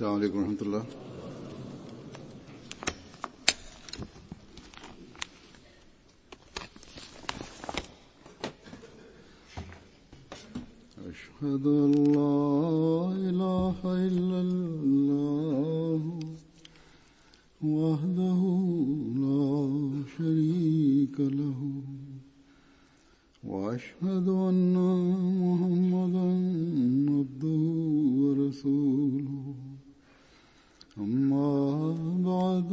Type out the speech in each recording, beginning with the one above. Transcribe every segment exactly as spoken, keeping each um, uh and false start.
السلام عليكم ورحمة الله. أشهد أن لا إله إلا الله وحده لا شريك له وأشهد أن محمدا عبده ورسوله أما بعد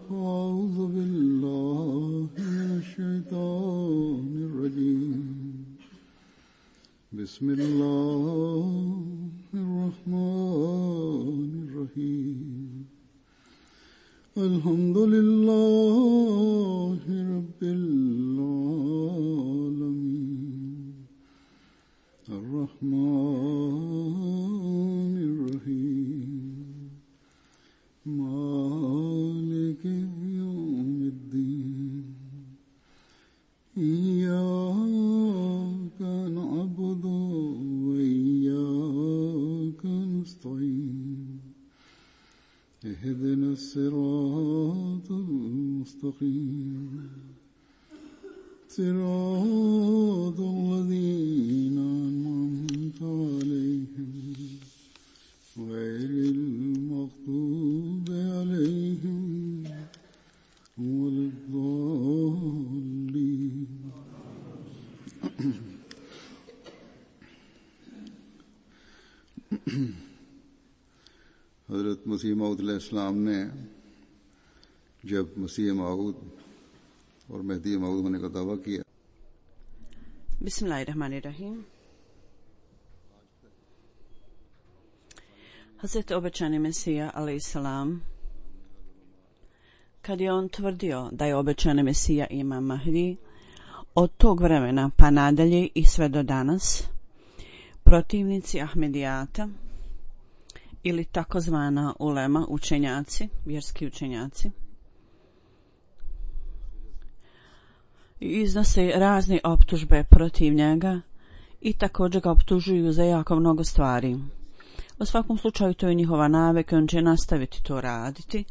فأعوذ بالله من الشيطان الرجيم بسم الله الرحمن الرحيم الحمد لله رب العالمين الرحمن الرحيم مالك يوم الدين إياك نعبد وإياك نستعين اهدنا الصراط المستقيم صراط الذين أنعمت عليهم غير المغضوب عليهم ولا الضالين. हज़रत मसीह मऊद अलैहिस्सलाम ने जब मसीह मऊद और मेहदी मऊद होने का दावा किया. Bismillahirrahmanirrahim. Hazreti obećani Mesija alejhiselam, kad je on tvrdio da je obećani Mesija Imam Mahdi, od tog vremena pa nadalje i sve do danas, protivnici Ahmedijata ili takozvana ulema, učenjaci, vjerski učenjaci, iznose razne optužbe protiv njega i također ga optužuju za jako mnogo stvari. U svakom slučaju to je njihova navika, on će nastaviti to raditi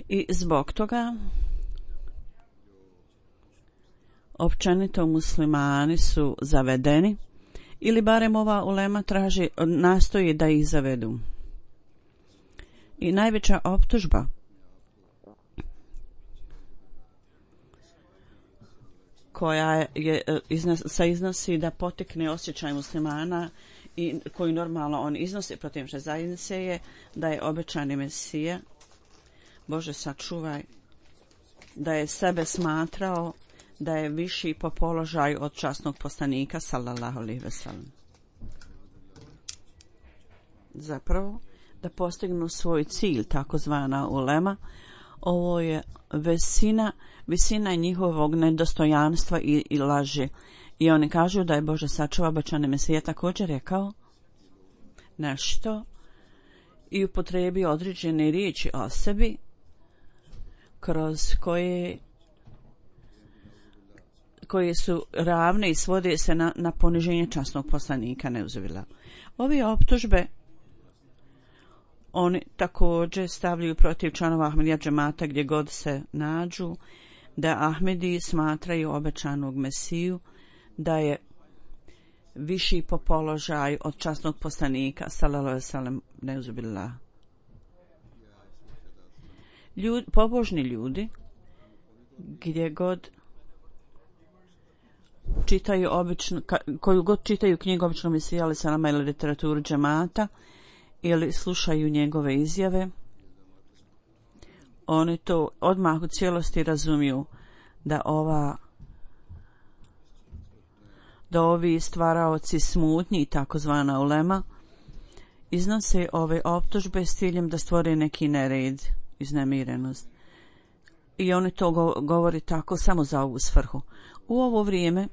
i zbog toga općenito muslimani su zavedeni ili barem ova ulema traži, nastoji da ih zavedu. I najveća optužba koja je iznos, sa iznosi da potekne osjećaj muslimana i koji normalno on iznosi protiv naše zajednice je da je obećani Mesija, Bože sačuvaj, da je sebe smatrao da je viši po položaju od časnog poslanika sallallahu alejhi ve sellem. Zapravo da postignu svoj cilj, takozvana ulema, ovo je visina, visina njihovog nedostojanstva i, i laži. I oni kažu da je Bože sačuva obećani Mesija također rekao nešto i upotrijebio određene riječi o sebi kroz koje koje su ravne i svode se na, na poniženje časnog poslanika neuzubila. Ove optužbe oni također stavljaju protiv članova Ahmedija džemata gdje god se nađu, da Ahmedi smatraju obećanog Mesiju da je viši po položaju od časnog poslanika sallallahu alejhi ve sellem neuzubillah. Ljud, pobožni ljudi gdje god čitaju obično, koju god čitaju knjigu običnog Mesija alejhi selam ili literaturu džemata ili slušaju njegove izjave, oni to odmah u cijelosti razumiju da ova da ovi stvaraoci smutnji, takozvana ulema, iznose ove optužbe s ciljem da stvore neki nered, iznemirenost. I oni to go- govori tako samo za ovu svrhu. U ovo vrijeme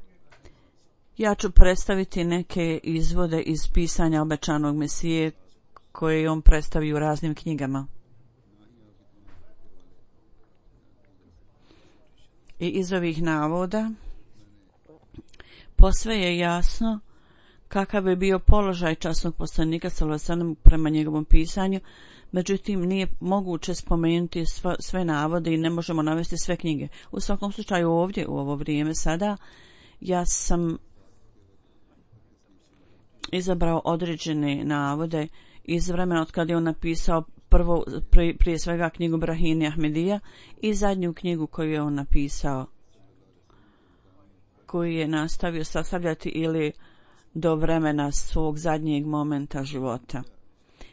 ja ću predstaviti neke izvode iz pisanja obećanog Mesije koje on predstavi u raznim knjigama. I iz ovih navoda posve je jasno kakav je bio položaj časnog poslanika sallallahu alejhi ve sellem prema njegovom pisanju, Međutim, nije moguće spomenuti sve, sve navode i ne možemo navesti sve knjige. U svakom slučaju ovdje, u ovo vrijeme sada, ja sam izabrao određene navode iz vremena od kada je on napisao prvo, prije, prije svega knjigu Brahini Ahmedija i zadnju knjigu koju je on napisao, koju je nastavio sastavljati ili do vremena svog zadnjeg momenta života.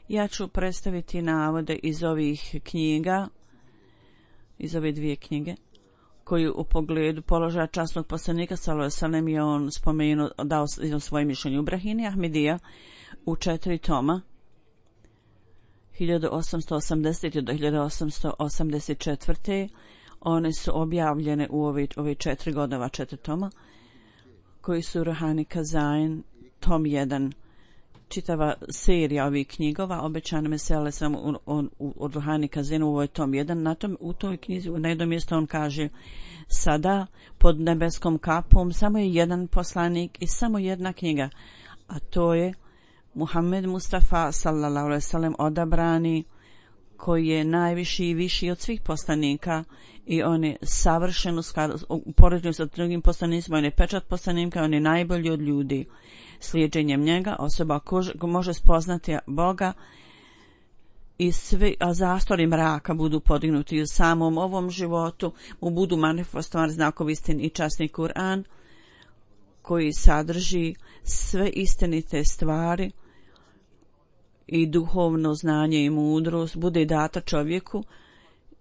Ja ću predstaviti navode iz ovih knjiga, iz ove dvije knjige, koju u pogledu položaja časnog poslanika sallallahu alejhi ve sellem je on spomenuo, dao svoje mišljenje. U Brahini Ahmedija u četiri toma hiljadu osamsto osamdesete do hiljadu osamsto osamdeset četvrte one su objavljene u ove, ove četiri godova, četiri toma, koji su Ruhani Kazain, tom jedan, čitava serija ovih knjigova, obećane mesele samo od Ruhani Kazinu, ovo je tom jedan. Na tom, u toj knjizi, na jednom mjestu on kaže, sada pod nebeskom kapom samo je jedan poslanik i samo jedna knjiga, a to je Muhammed Mustafa sallallahu alejhi ve sellem, odabrani, koji je najviši i viši od svih poslanika i on je savršen u poređenju sa drugim poslanicima, on je pečat poslanika, on je najbolji od ljudi. Slijedženjem njega osoba ko može spoznati Boga i svi a zastori mraka budu podignuti u samom ovom životu, mu budu manifestovani znakovi istine i časni Kur'an koji sadrži sve istinite stvari i duhovno znanje i mudrost bude data čovjeku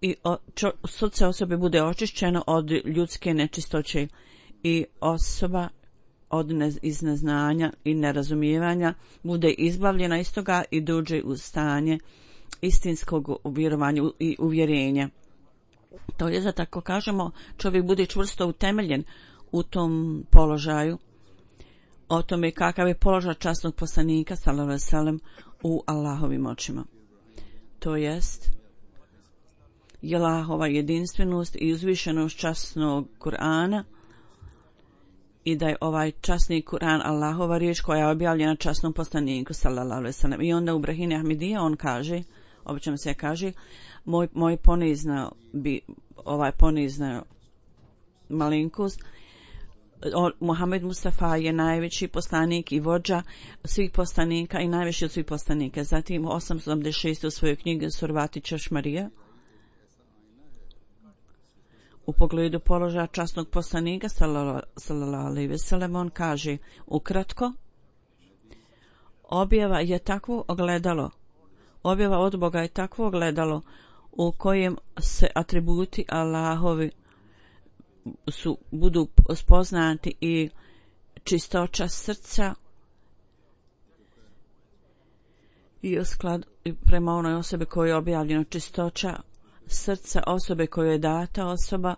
i čo, srce osobe bude očišćeno od ljudske nečistoće i osoba od ne, iz neznanja i nerazumijevanja bude izbavljena iz toga i dođe u stanje istinskog vjerovanja i uvjerenja. To je, za tako kažemo, čovjek bude čvrsto utemeljen u tom položaju, o tome kakav je položaj časnog poslanika sallallahu alejhi ve sellem u Allahovim očima. To jest je Allahova jedinstvenost i uzvišenost časnog Kur'ana i da je ovaj časni Kur'an Allahova riječ koja je objavljena časnom poslaniku sallallahu alejhi ve sellem. I onda u Brahini Ahmedija on kaže, obično se kaže, moj, moj ponizna bi, ovaj ponizna malinkost, Muhammed Mustafa je najveći poslanik i vođa svih poslanika i najveći od svih poslanika. Zatim u osamsto sedamdeset šeste u svojoj knjigi Survati Čašmarija u pogledu položaja časnog poslanika sallallahu alejhi ve sellem on kaže ukratko, objava je takvo ogledalo, objava od Boga je takvo ogledalo u kojem se atributi Allahovi su budu spoznati i čistoća srca i u skladu prema onoj osobe kojoj je objavljeno čistoća srca osobe kojoj je data osoba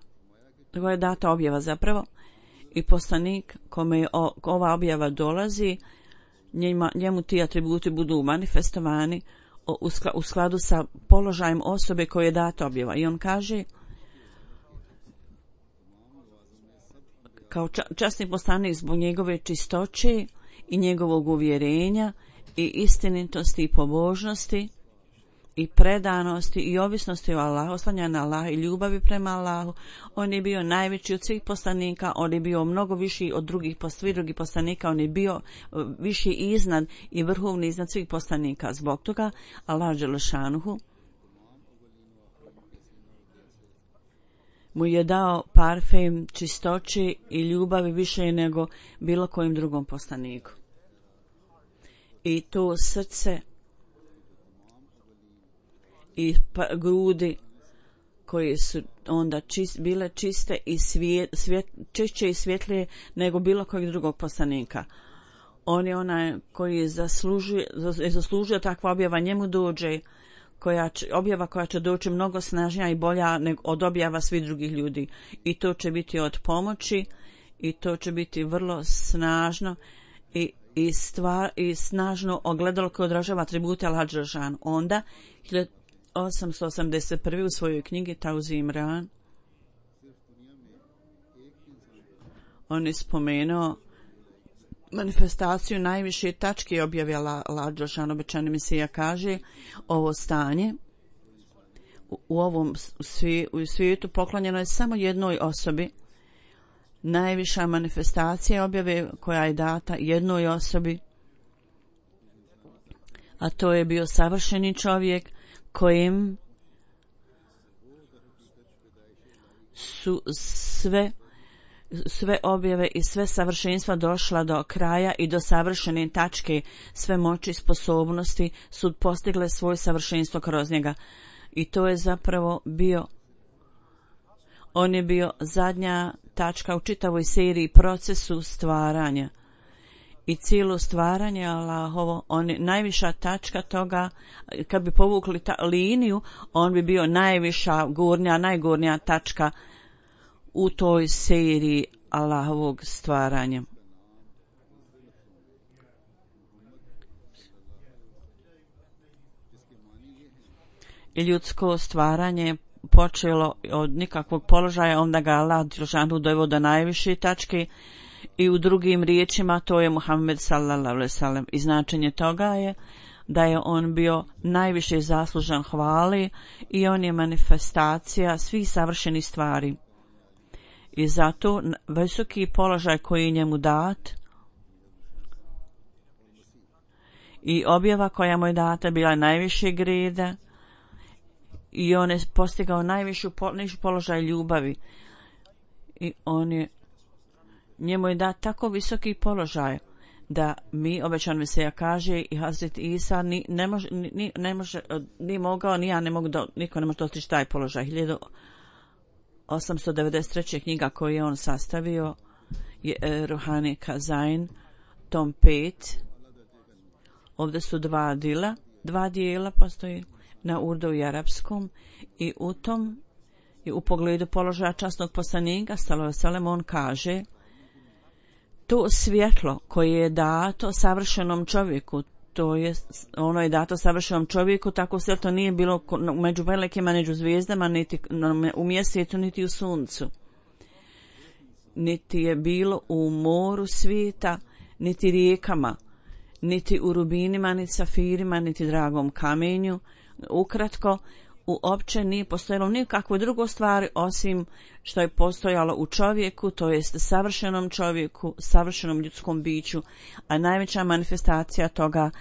kojoj je data objava zapravo i poslanik kome je o, ova objava dolazi njima, njemu ti atributi budu manifestovani u, skla, u skladu sa položajem osobe kojoj je data objava i on kaže kao časni poslanik zbog njegove čistoće i njegovog uvjerenja i istinitosti i pobožnosti i predanosti i ovisnosti o Allahu, oslanja na Allaha i ljubavi prema Allahu. On je bio najveći od svih poslanika, on je bio mnogo viši od drugih, svih drugih poslanika, on je bio viši iznad i vrhovni iznad svih poslanika. Zbog toga Allah dželešanuhu mu je dao parfem čistoće i ljubavi više nego bilo kojim drugom poslaniku. I to srce i pa, grudi koje su onda čist, bile čiste i svijet, svijet, čišće i svjetlije nego bilo kojeg drugog poslanika. On je onaj koji je zaslužio, je zaslužio takva objava, njemu dođe koja će, objava koja će doći mnogo snažnija i bolja nego od objava svih drugih ljudi. I to će biti od pomoći i to će biti vrlo snažno i, i, stvar, i snažno ogledalo koje odražava atribute Allaha dželešanu. Onda hiljadu osamsto osamdeset prve u svojoj knjigi Tauzi Imran on je spomenuo manifestaciju najviše tačke objavila Allah dželešanu, obećani Mesija kaže ovo stanje u, u ovom svi, u svijetu poklonjeno je samo jednoj osobi. Najviša manifestacija objave koja je data jednoj osobi, a to je bio savršeni čovjek kojim su sve sve objave i sve savršenstva došla do kraja i do savršene tačke, sve moći i sposobnosti su postigle svoje savršenstvo kroz njega. I to je zapravo bio, on je bio zadnja tačka u čitavoj seriji procesu stvaranja. I cijelo stvaranje Allahovo, on je najviša tačka toga, kad bi povukli ta liniju, on bi bio najviša, gornja, najgornja tačka u toj seriji Allahovog stvaranja. I ljudsko stvaranje počelo od nikakvog položaja, onda ga Allah dželešanu doveo do najviše tačke i u drugim riječima to je Muhammed sallallahu alejhi ve sellem. I značenje toga je da je on bio najviše zaslužan hvali i on je manifestacija svih savršenih stvari. I zato visoki položaj koji je njemu dat i objava koja mu je data bila najvišeg reda i on je postigao najvišu položaj ljubavi i on je, njemu je dat tako visoki položaj da mi, obećan Mesija kaže i Hazret Isa ni, ne može, ni, ne može, ni mogao, ni ja ne mogu, do, niko ne može dostići taj položaj. hiljadu osamsto devedeset treća knjiga koju je on sastavio je Ruhani Kazain, tom pet. Ovdje su dva dila, dva dijela postoji na urdu i arapskom i u tom i u pogledu položaja časnog poslanika sallallahu alejhi ve sellem on kaže to svjetlo koje je dato savršenom čovjeku, to je ono je dato savršenom čovjeku, tako svjetlo nije bilo među velikima, među zvijezdama, niti u mjesecu, niti u suncu, niti je bilo u moru svijeta, niti rijekama, niti u rubinima, niti safirima, niti dragom kamenju. Ukratko, uopće nije postojalo nikakvo drugo stvari osim što je postojalo u čovjeku, to jest savršenom čovjeku, savršenom ljudskom biću, a najveća manifestacija toga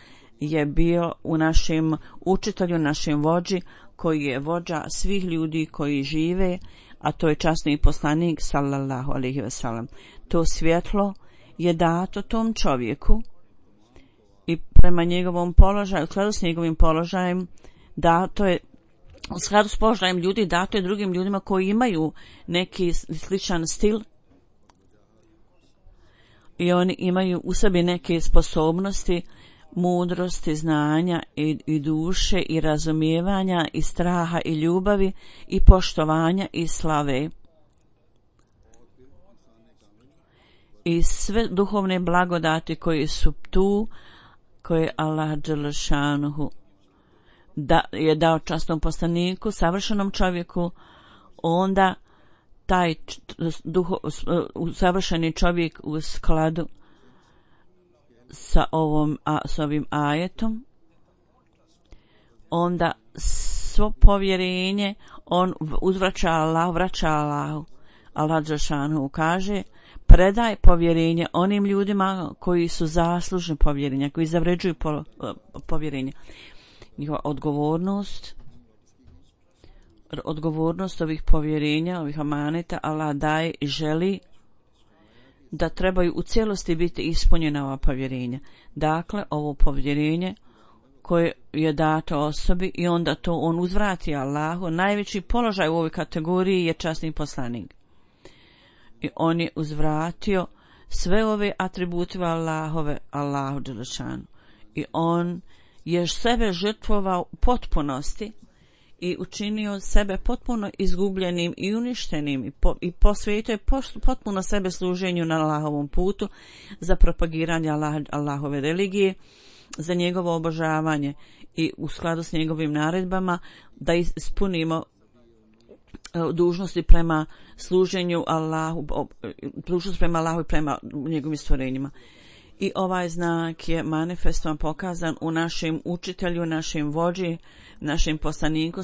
je bio u našem učitelju, našem vođi, koji je vođa svih ljudi koji žive, a to je časni poslanik sallallahu alejhi ve sellem. To svjetlo je dato tom čovjeku i prema njegovom položaju, u skladu s njegovim položajem, dato je u skladu s položajem ljudi, dato je drugim ljudima koji imaju neki sličan stil i oni imaju u sebi neke sposobnosti, mudrosti, znanja i, i duše i razumijevanja i straha i ljubavi i poštovanja i slave. I sve duhovne blagodati koje su tu, koje Allah dželešanuhu da je dao časnom poslaniku, savršenom čovjeku, onda taj duho, savršeni čovjek u skladu sa ovom a, s ovim ajetom, onda svo povjerenje on uzvraća Allah, vraća Allahu. Allah dželešanu kaže: predaj povjerenje onim ljudima koji su zaslužni povjerenja, koji zavređuju po, povjerenje. Njihova odgovornost, odgovornost ovih povjerenja, ovih amaneta, Allah daje i želi da trebaju u cijelosti biti ispunjena ova povjerenja. Dakle, ovo povjerenje koje je dato osobi i onda to on uzvrati Allahu, najveći položaj u ovoj kategoriji je časni poslanik. I on je uzvratio sve ove atribute Allahove, Allahu dželešanu. I on je sebe žrtvovao u potpunosti i učinio sebe potpuno izgubljenim i uništenim i, po, i posvetio potpuno sebe služenju na Allahovom putu za propagiranje Allah, Allahove religije, za njegovo obožavanje i u skladu s njegovim naredbama da ispunimo dužnosti prema služenju Allahu, dužnost prema Allahu i prema njegovim stvorenjima. I ovaj znak je manifestovan, pokazan u našem učitelju, našem vođi, našem poslaniku,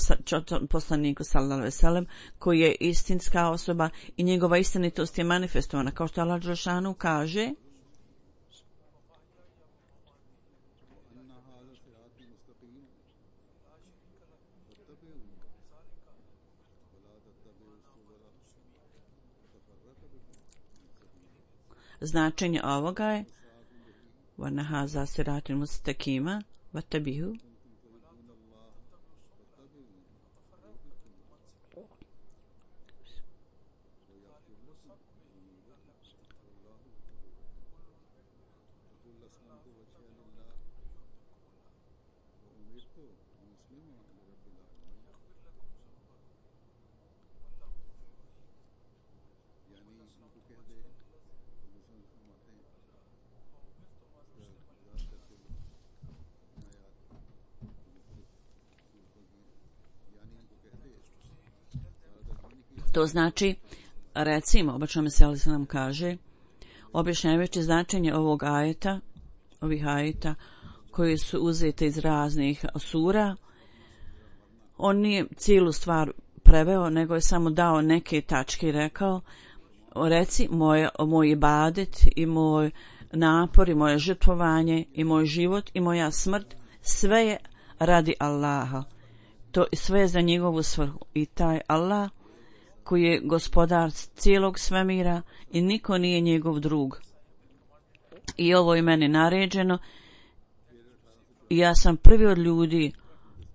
poslaniku sallallahu alejhi ve sellem, koji je istinska osoba i njegova istinitost je manifestovana, kao što Allah dželešanu kaže: značenje ovoga je وَنَ هَذَا صِرَاطٌ مُسْتَقِيمٌ وَاتَّبِعُوهُ. To znači, recimo, obačno meseli se nam kaže, objašnjavajući značenje ovog ajeta, ovih ajeta koji su uzete iz raznih sura, on nije cijelu stvar preveo, nego je samo dao neke tačke i rekao: reci, moj, moj ibadet i moj napor i moje žrtvovanje i moj život i moja smrt, sve je radi Allaha. To sve je za njegovu svrhu. I taj Allah koji je gospodar cijelog svemira i niko nije njegov drug. I ovo je meni naređeno i ja sam prvi od ljudi,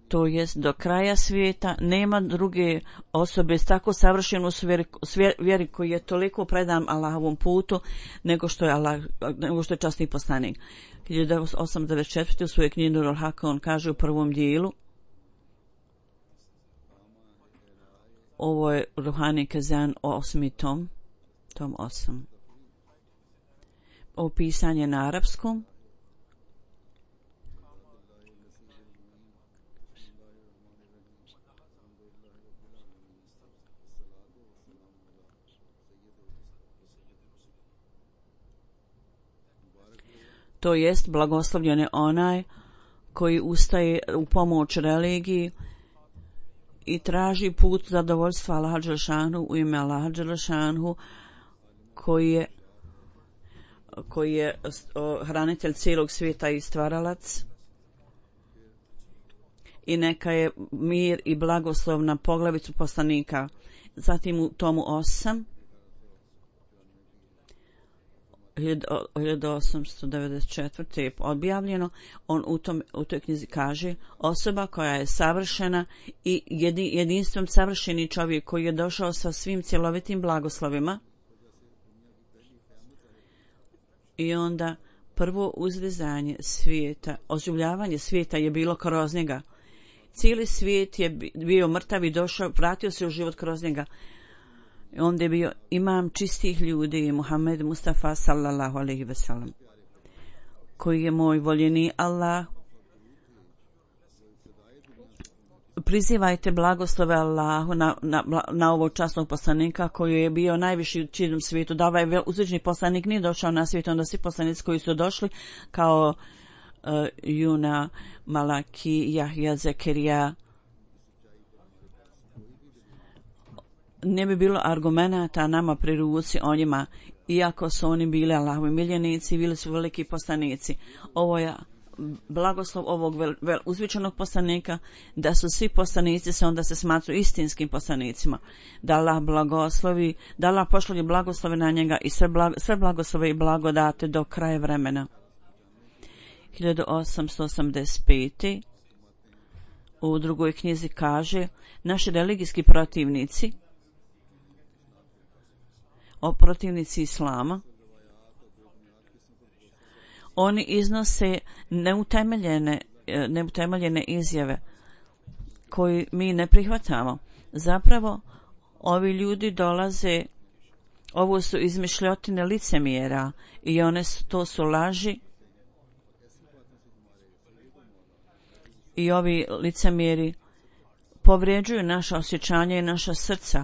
to jest do kraja svijeta nema druge osobe s tako savršenu vjeri koji je toliko predan Allahovom putu nego što je, Allah, nego što je časni poslanik. hiljadu osamsto devedeset četvrte. u svojoj knjizi Nurul Haka on kaže u prvom dijelu, ovo je Ruhani Kazan osmi tom, tom osam. Ovo pisanje na arapskom. To jest blagoslovljen je onaj koji ustaje u pomoć religiji i traži put zadovoljstva Allaha dželešanu u ime Allaha dželešanu koji je koji je hranitelj cijelog svijeta i stvaralac. I neka je mir i blagoslov na poglavicu poslanika. Zatim u tomu osam hiljadu osamsto devedeset četvrte. je objavljeno, on u, tom, u toj knjizi kaže: osoba koja je savršena i jedinstvom savršeni čovjek koji je došao sa svim cjelovitim blagoslovima. I onda prvo uzvezanje svijeta, oživljavanje svijeta je bilo kroz njega. Cijeli svijet je bio mrtav i došao, vratio se u život kroz njega. Onda je bio imam čistih ljudi, Muhammed Mustafa sallallahu alejhi ve sellem, koji je moj voljeni Allah. Prizivajte blagoslove Allahu na, na, na ovog časnog poslanika koji je bio najviši u čitavom svijetu. Da ovaj uzvišeni poslanik nije došao na svijet, onda svi poslanici koji su došli kao uh, Juna, Malaki, Jahja, Zekerija, ne bi bilo argumenata nama pri ruci o njima, iako su oni bili Allahovi miljenici, bili su veliki poslanici. Ovo je blagoslov ovog vel, vel, uzvičenog poslanika, da su svi poslanici se onda se smatruju istinskim poslanicima, da Allah blagoslovi, da Allah pošalje blagoslove na njega i sve, blag, sve blagoslove i blagodate do kraja vremena. hiljadu osamsto osamdeset pete. u drugoj knjizi kaže: naši religijski protivnici, o protivnici Islama, oni iznose neutemeljene, neutemeljene izjave koje mi ne prihvatamo. Zapravo, ovi ljudi dolaze, ovo su izmišljotine licemjera i one su, to su laži. I ovi licemjeri povređuju naša osjećanja i naša srca.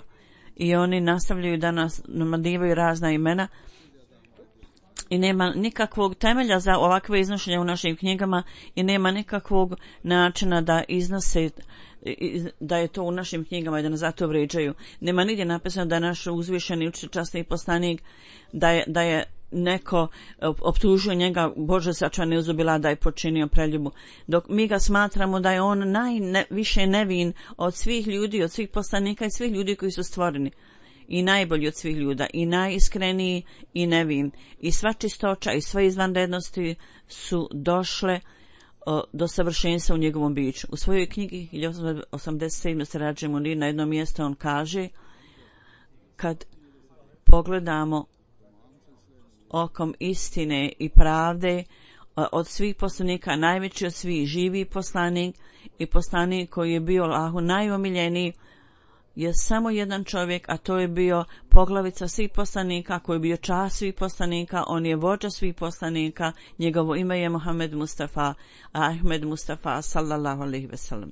I oni nastavljaju da nas namadivaju razna imena i nema nikakvog temelja za ovakve iznošenja u našim knjigama i nema nikakvog načina da iznose da je to u našim knjigama i da nas zato vrijeđaju. Nema nigdje napisano da je naš uzvišeni učitelj, časni poslanik, da je, da je neko optužio njega, Bože sačuvaj uzubila, da je počinio preljubu. Dok mi ga smatramo da je on najviše nevin od svih ljudi, od svih poslanika i svih ljudi koji su stvoreni. I najbolji od svih ljuda, i najiskreniji i nevin. I sva čistoća i sve izvanrednosti su došle o, do savršenstva u njegovom biću. U svojoj knjigi hiljadu osamsto osamdeset sedam Sirađe Munir na jednom mjestu on kaže, kad pogledamo okom istine i pravde, od svih poslanika najveći od svih živi poslanik i poslanik koji je bio Allahu najomiljeniji je samo jedan čovjek, a to je bio poglavica svih poslanika, koji je bio čast svih poslanika, on je vođa svih poslanika, njegovo ime je Muhammed Mustafa, Ahmed Mustafa, sallallahu alejhi ve sellem.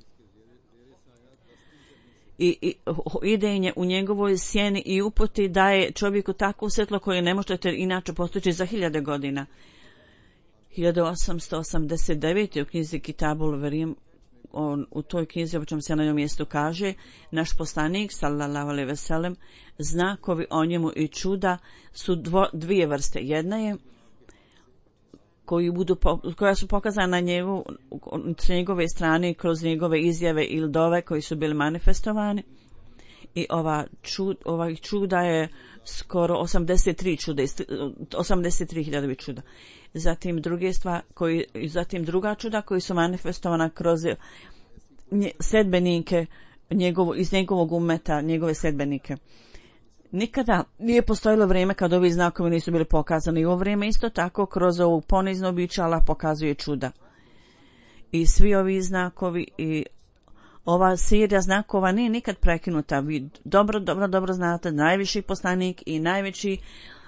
I, i idenje u njegovoj sjeni i uputi daje čovjeku takvo svjetlo koje ne možete inače postići za hiljade godina. hiljadu osamsto osamdeset devete u knjizi Kitabul Verim, on, u toj knjizi o čem se na njom mjestu kaže, naš poslanik sallallahu alejhi ve sellem, znakovi o njemu i čuda su dvo, dvije vrste. Jedna je koji budu po, koja su pokazana na njegu, s njegove strane kroz njegove izjave ili dove koji su bili manifestovani. I ova čud, ova čuda je skoro osamdeset tri čuda, osamdeset tri hiljade čuda. Zatim druge stvari, koji, zatim druga čuda koji su manifestovana kroz nje, sedbenike njegovo, iz njegovog umeta, njegove sedbenike. Nikada nije postojilo vrijeme kad ovi znakovi nisu bili pokazani. I ovo vrijeme isto tako kroz ovu ponizno biće Allah pokazuje čuda. I svi ovi znakovi i ova serija znakova nije nikad prekinuta. Vi dobro, dobro, dobro znate, najviši poslanik i najveći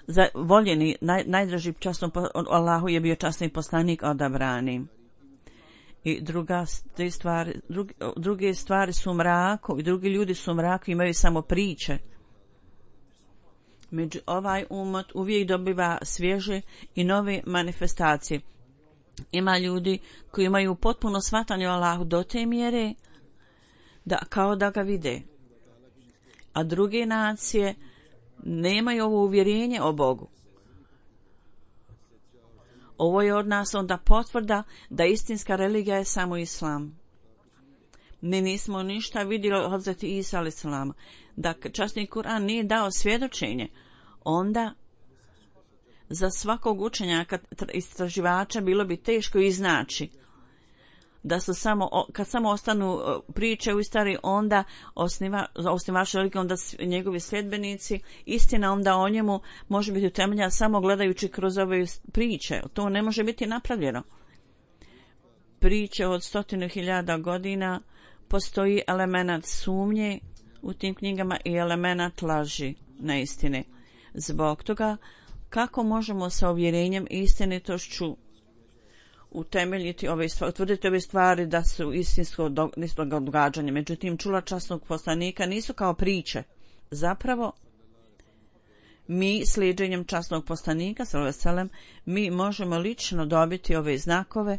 za voljeni, naj, najdraži časnom Allahu je bio časni poslanik odabrani. I druga stvari, druge, druge stvari su mrako i drugi ljudi su mrako, imaju samo priče. Među ovaj umet uvijek dobiva svježe i nove manifestacije. Ima ljudi koji imaju potpuno shvatanje o Allahu do te mjere da kao da ga vide. A druge nacije nemaju ovo uvjerenje o Bogu. Ovo je od nas onda potvrda da istinska religija je samo islam. Mi nismo ništa vidjeli od Hazreti Isa alejhi selam. Da časni Kur'an nije dao svjedočenje, onda za svakog učenjaka istraživača bilo bi teško iznaći da su samo, kad samo ostanu priče u istari, onda osniva, osnivač religije, onda njegovi sljedbenici, istina onda o njemu može biti utemeljena samo gledajući kroz ove priče. To ne može biti napravljeno. Priče od stotinu hiljada godina, postoji element sumnje u tim knjigama i element laži, neistine. Zbog toga, kako možemo sa uvjerenjem i istinitošću utemeljiti ove stvari, utvrditi ove stvari da su istinsko događanje. Međutim, čula časnog poslanika nisu kao priče. Zapravo, mi slijedženjem časnog poslanika, sallallahu alejhi ve sellem, mi možemo lično dobiti ove znakove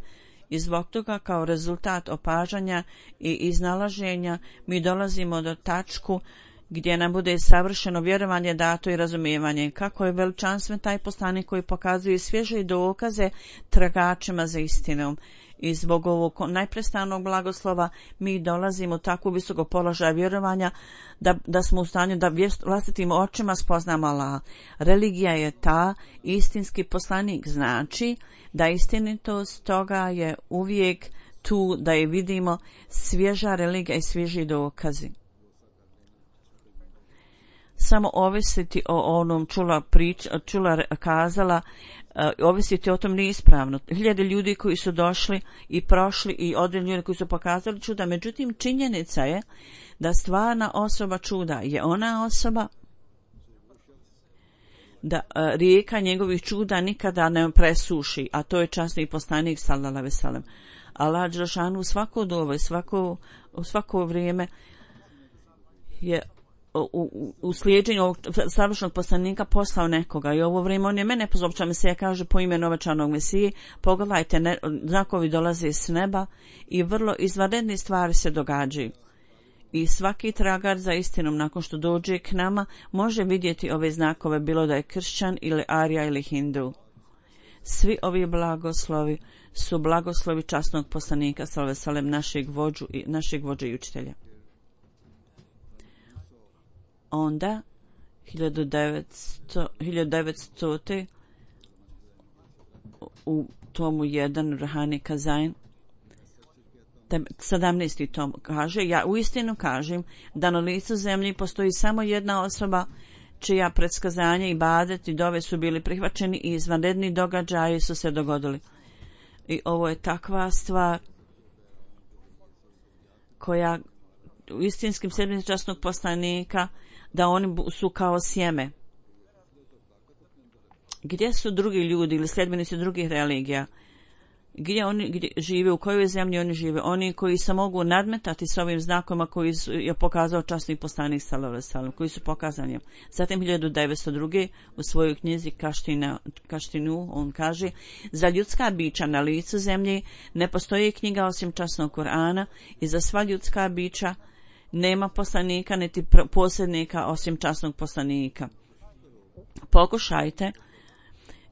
i zbog toga kao rezultat opažanja i iznalaženja mi dolazimo do tačku gdje nam bude savršeno vjerovanje dato i razumijevanje. Kako je veličanstven taj poslanik koji pokazuje svježe dokaze tragačima za istinom. I zbog ovog najprestanog blagoslova mi dolazimo u takvu visoko položaja vjerovanja da, da smo u stanju da vlastitim očima spoznamo Allaha. Religija je ta, istinski poslanik znači da istinitost toga je uvijek tu, da je vidimo svježa religija i svježi dokazi. Samo ovisiti o onom čula prič, čula kazala, uh, ovisiti o tom nije ispravno. Hiljade ljudi koji su došli i prošli i određeni ljudi koji su pokazali čuda, međutim činjenica je da stvarna osoba čuda je ona osoba da uh, rijeka njegovih čuda nikada ne presuši, a to je časni poslanik sallallahu alejhi ve sellem. Allah dželešanu svako dovo, svako, svako vrijeme je u, u slijedženju ovog savršenog poslanika poslao nekoga i ovo vrijeme on je mene pozopća Mesija, kaže po imenu obećanog Mesije, pogledajte, ne, znakovi dolaze s neba i vrlo izvanredne stvari se događaju. I svaki tragar za istinom nakon što dođe k nama može vidjeti ove znakove, bilo da je kršćan ili arija ili hindu. Svi ovi blagoslovi su blagoslovi časnog poslanika sallallahu alejhi ve sellem, našeg vođu i našeg vođe i učitelja. Onda hiljadu devetsto u tomu jedan Ruhani Kazain sedamnaesti tom kaže, ja uistinu kažem da na licu zemlji postoji samo jedna osoba čija predskazanja i badet i dove su bili prihvaćeni i izvanredni događaji su se dogodili. I ovo je takva stvar koja u istinskim sedmicama časnog poslanika, da oni su kao sjeme. Gdje su drugi ljudi ili sljedbenici drugih religija? Gdje oni gdje žive, u kojoj zemlji oni žive? Oni koji se mogu nadmetati s ovim znakovima koji je pokazao časni poslanik sallallahu alejhi ve sellem, koji su pokazani. Zatim hiljadu devetsto druge u svojoj knjizi Kaština, Kaštinu on kaže, za ljudska bića na licu zemlje ne postoji knjiga osim časnog Kur'ana i za sva ljudska bića nema poslanika niti posrednika osim časnog poslanika. Pokušajte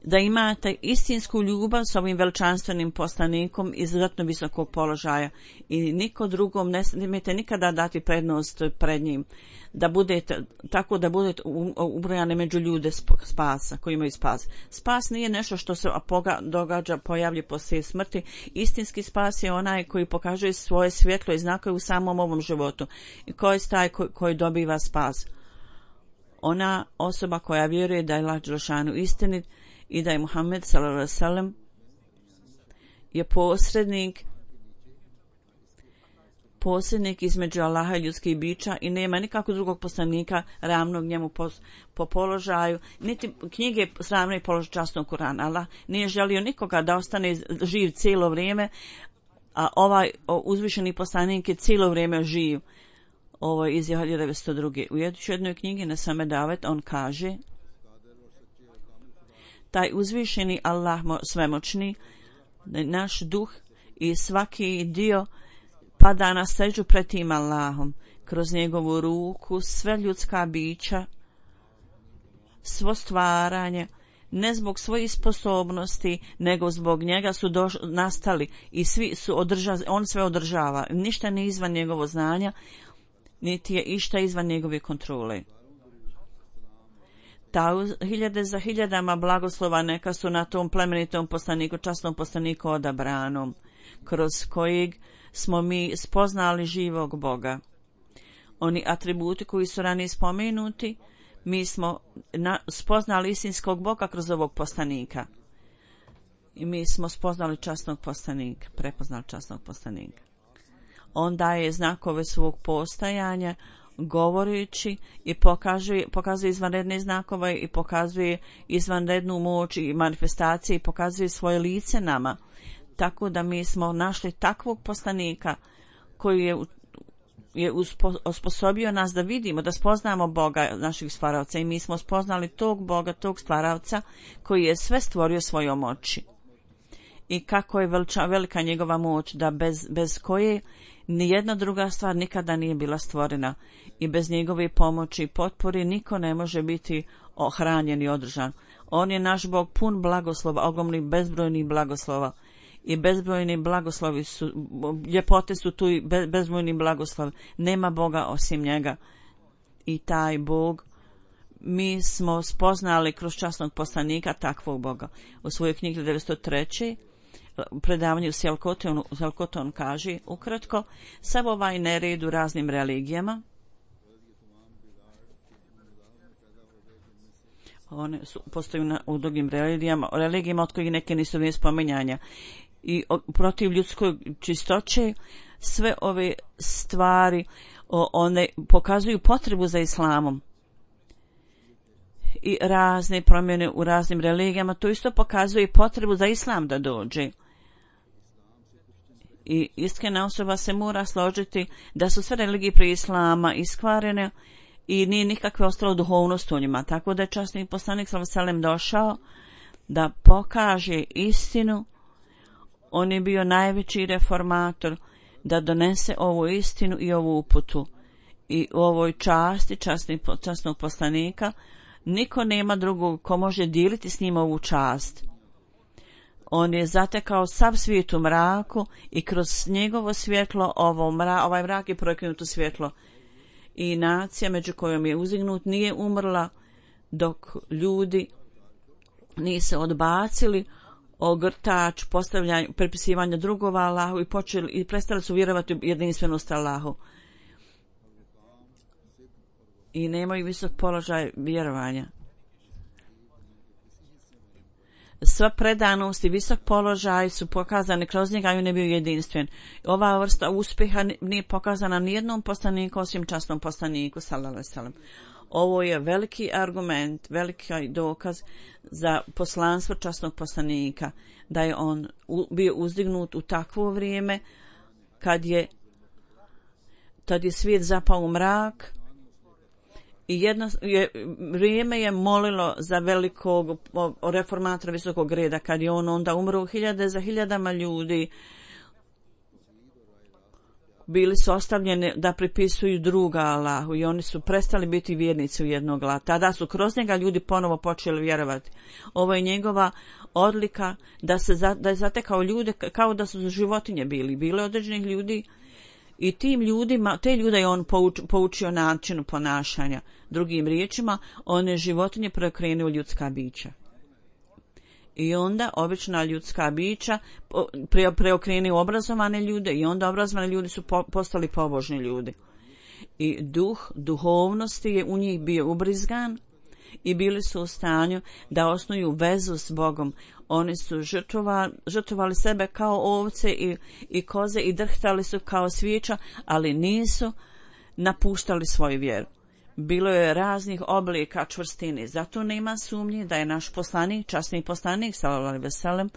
da imate istinsku ljubav s ovim veličanstvenim poslanikom izuzetno visokog položaja i niko drugom ne smijete nikada dati prednost pred njim, da budete tako da budete ubrojani među ljude spasa koji imaju spas. Spas nije nešto što se događa, pojavlja poslije smrti. Istinski spas je onaj koji pokazuje svoje svjetlo i znakove u samom ovom životu i koji je taj koji, koji dobiva spas. Ona osoba koja vjeruje da je Allah dželešanu istinit i da je Muhammed sallallahu alejhi ve sellem je posrednik posrednik između Allaha i ljudskih bića i nema nikakvog drugog poslanika ravnog njemu po, po položaju, niti knjige sravne položaj časnog Kur'ana. Allah nije želio nikoga da ostane živ cijelo vrijeme, a ovaj uzvišeni poslanik je cijelo vrijeme živ. Ovo je iz hiljadu devetsto druge. U jednoj knjigi na Same Davet on kaže, taj uzvišeni Allah svemoćni, naš duh i svaki dio pada na seđu pred tim Allahom. Kroz njegovu ruku sve ljudska bića, svo stvaranje, ne zbog svojih sposobnosti, nego zbog njega su doš, nastali i svi su održa, on sve održava. Ništa nije izvan njegovog znanja, niti je išta izvan njegove kontrole. Ta hiljade za hiljadama blagoslova neka su na tom plemenitom poslaniku, časnom poslaniku odabranom, kroz kojeg smo mi spoznali živog Boga. Oni atributi koji su ranije spomenuti, mi smo na, spoznali istinskog Boga kroz ovog poslanika. I mi smo spoznali časnog poslanika, prepoznali časnog poslanika. On daje znakove svog postajanja, govoreći i pokazuje, pokazuje izvanredne znakove i pokazuje izvanrednu moć i manifestacije i pokazuje svoje lice nama. Tako da mi smo našli takvog poslanika koji je, je uspo, osposobio nas da vidimo, da spoznamo Boga naših stvaravca i mi smo spoznali tog Boga, tog stvaravca koji je sve stvorio svojom oči. I kako je veliča, velika njegova moć da bez, bez koje nijedna druga stvar nikada nije bila stvorena i bez njegove pomoći i potpore niko ne može biti ohranjen i održan. On je naš Bog pun blagoslova, ogromnih bezbrojnih blagoslova i bezbrojni blagoslovi su, ljepote su tu i be, bezbrojni blagoslov. Nema Boga osim njega. I taj Bog mi smo spoznali kroz časnog poslanika takvog Boga. U svojoj knjigi devetsto treće predavanju Sjelkotonu, Sjelkoton kaže ukratko, sav ovaj nered u raznim religijama, one su, postoju na, u drugim religijama, religijama od kojih neke nisu nije spomenjanja i o, protiv ljudskoj čistoće, sve ove stvari o, one pokazuju potrebu za islamom i razne promjene u raznim religijama, to isto pokazuje potrebu za islam da dođe. I iskrena osoba se mora složiti da su sve religije prije islama iskvarene i nije nikakve ostalo duhovnost u njima, tako da je časni poslanik sallallahu alejhi ve sellem došao da pokaže istinu. On je bio najveći reformator, da donese ovu istinu i ovu uputu. I u ovoj časti časni, časnog poslanika niko nema drugog ko može dijeliti s njim ovu čast. On je zatekao sav svijet u mraku i kroz njegovo svjetlo ovo mra, ovaj mrak je prokinut u svjetlo. I nacija među kojom je uzignut nije umrla dok ljudi nisu odbacili ogrtač postavljanja, prepisivanja drugova Allahu i počeli i prestali su vjerovati u jedinstvenost Allahu. I nemaju visok položaj vjerovanja. Sva predanost i visok položaj su pokazani kroz njega i on je bio jedinstven. Ova vrsta uspjeha nije pokazana nijednom poslaniku osim časnom poslaniku sallallahu alejhi ve sellem. Ovo je veliki argument, veliki dokaz za poslanstvo časnog poslanika, da je on bio uzdignut u takvo vrijeme kad je, tad je svijet zapao u mrak i jedno je, vrijeme je molilo za velikog reformatora visokog reda, kad je on onda umro hiljade za hiljadama ljudi bili su ostavljeni da pripisuju druga Allahu i oni su prestali biti vjernici u jednog Allaha. Tada su kroz njega ljudi ponovo počeli vjerovati. Ovo je njegova odlika da se za, da je zatekao ljude kao da su životinje bili. Bile određenih ljudi i tim ljudima, te ljude je on pouč, poučio načinu ponašanja. Drugim riječima, on je životinje preokrenuo ljudska bića. I onda obična ljudska bića pre, preokrenuo obrazovane ljude i onda obrazovani ljudi su po, postali pobožni ljudi. I duh duhovnosti je u njih bio ubrizgan i bili su u stanju da osnuju vezu s Bogom. Oni su žrtvovali, žrtvovali sebe kao ovce i, i koze i drhtali su kao svijeća, ali nisu napuštali svoju vjeru. Bilo je raznih oblika čvrstine, zato nema sumnje da je naš poslanik, časni poslanik sallallahu alejhi ve sellem,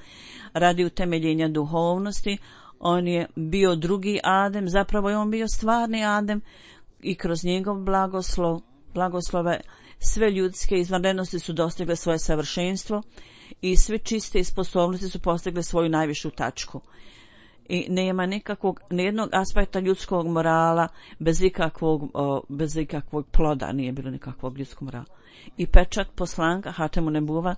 radi utemeljenja duhovnosti. On je bio drugi Adem, zapravo je on bio stvarni Adem i kroz njegov blagoslov, blagoslove sve ljudske izvanrednosti su dostigle svoje savršenstvo i sve čiste sposobnosti su postigle svoju najvišu tačku. I nema nikakvog, nijednog aspekta ljudskog morala bez ikakvog, o, bez ikakvog ploda, nije bilo nikakvog ljudskog morala. I pečat poslanka Hatemu Nebuva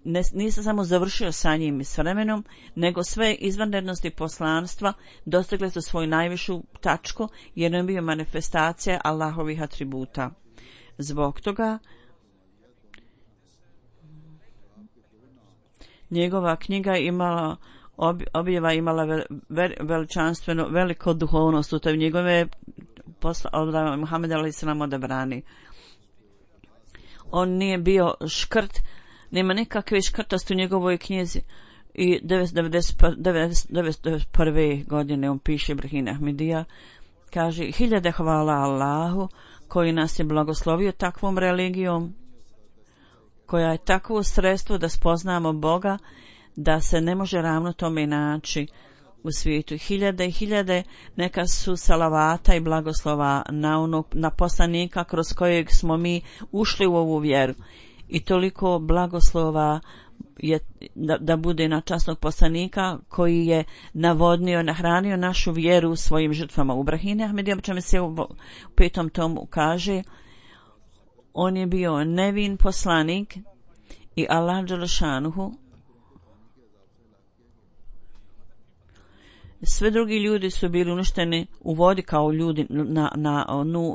ne, nije se samo završio sa njim i s vremenom, nego sve izvanrednosti poslanstva dostigle su svoju najvišu tačku jer je bio manifestacija Allahovih atributa. Zbog toga njegova knjiga imala objava imala veličanstveno veliko duhovnost u toj njegove posla od Muhameda alejhi selam odabrani. On nije bio škrt, nema nikakve škrtosti u njegovoj knjizi i devetsto devedeset prve godine on piše Ibrahim Ahmedija, kaže hiljade hvala Allahu koji nas je blagoslovio takvom religijom koja je takvo sredstvo da spoznamo Boga da se ne može ravno tome naći u svijetu. Hiljade i hiljade neka su salavata i blagoslova na, onog, na poslanika kroz kojeg smo mi ušli u ovu vjeru. I toliko blagoslova je da, da bude na časnog poslanika koji je navodnio, nahranio našu vjeru svojim žrtvama. U Ibrahim Ahmedija, čemu se u, u petom tomu kaže, on je bio nevin poslanik i Allah dželešanuhu sve drugi ljudi su bili uništeni u vodi kao ljudi na, na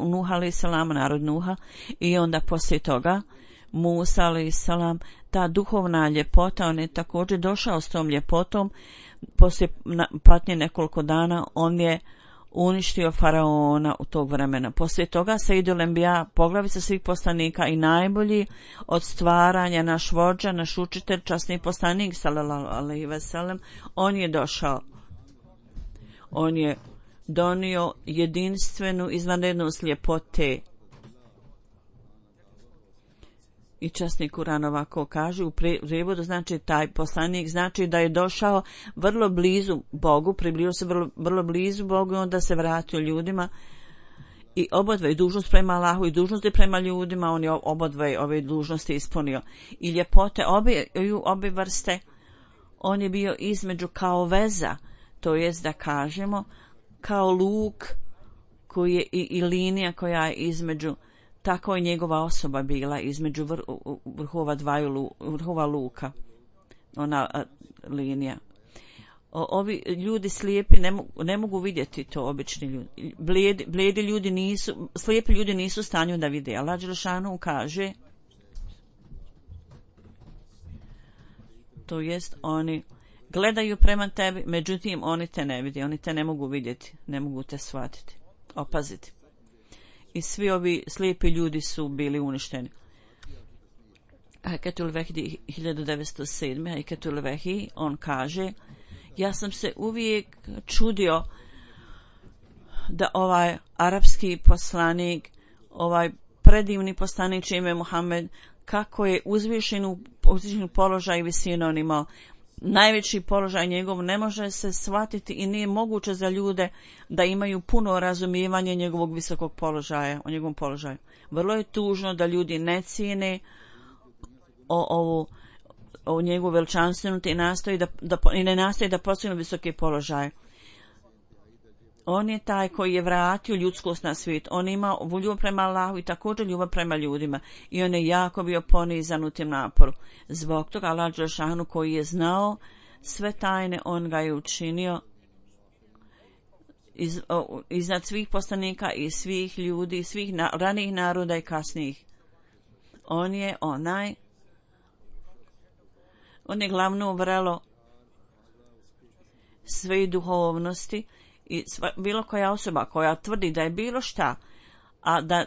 Nuh alejhi selam, narod Nuha, i onda poslije toga Musa alejhi selam, ta duhovna ljepota, on je također došao s tom ljepotom. Poslije patnje nekoliko dana on je uništio faraona u tog vremena. Poslije toga Sejdul Enbija, poglavica svih poslanika i najbolji od stvaranja, naš vođa, naš učitelj, časni poslanik sallallahu alejhi ve sellem, on je došao. On je donio jedinstvenu izvanrednost ljepote. I časni Kuran ovako kaže u prijevodu, znači taj poslanik znači da je došao vrlo blizu Bogu, približio se vrlo, vrlo blizu Bogu i onda se vratio ljudima i obodve dužnost prema Allahu i dužnosti prema ljudima, on je obodve ove dužnosti ispunio. I ljepote obe, obe vrste, on je bio između kao veza, to jest da kažemo kao luk koji je i, i linija koja je između, tako je njegova osoba bila između vr, vrhova dvaju vrhova luka, ona a, linija. O, ovi ljudi slijepi ne mogu, ne mogu vidjeti to, obični ljudi. Blijedi, blijedi ljudi nisu, slijepi ljudi nisu u stanju da vide. Allah dželešanu kaže, to jest oni gledaju prema tebi, međutim oni te ne vide, oni te ne mogu vidjeti, ne mogu te shvatiti, opaziti. I svi ovi slijepi ljudi su bili uništeni. Hakatul Vehdi hiljadu devetsto sedme. Hakatul Vehdi, on kaže, ja sam se uvijek čudio da ovaj arapski poslanik, ovaj predivni poslanik čime je Muhammed, kako je uzvišen u uzvišen položaj i visinu on imao. Najveći položaj njegov ne može se shvatiti i nije moguće za ljude da imaju puno razumijevanje njegovog visokog položaja, o njegovom položaju. Vrlo je tužno da ljudi ne cijene o ovu o njegovu veličanstvenu i nastoji da, da i ne nastoji da postignu visoke položaje. On je taj koji je vratio ljudskost na svijet. On ima ljubav prema Allahu i također ljubav prema ljudima. I on je jako bio ponizan u tim naporu. Zbog toga Allah dželešanu koji je znao sve tajne, on ga je učinio iz, o, iznad svih poslanika i svih ljudi, svih na, ranijih naroda i kasnijih. On je onaj On je glavno vrelo sve duhovnosti i sva, bilo koja osoba koja tvrdi da je bilo šta, a da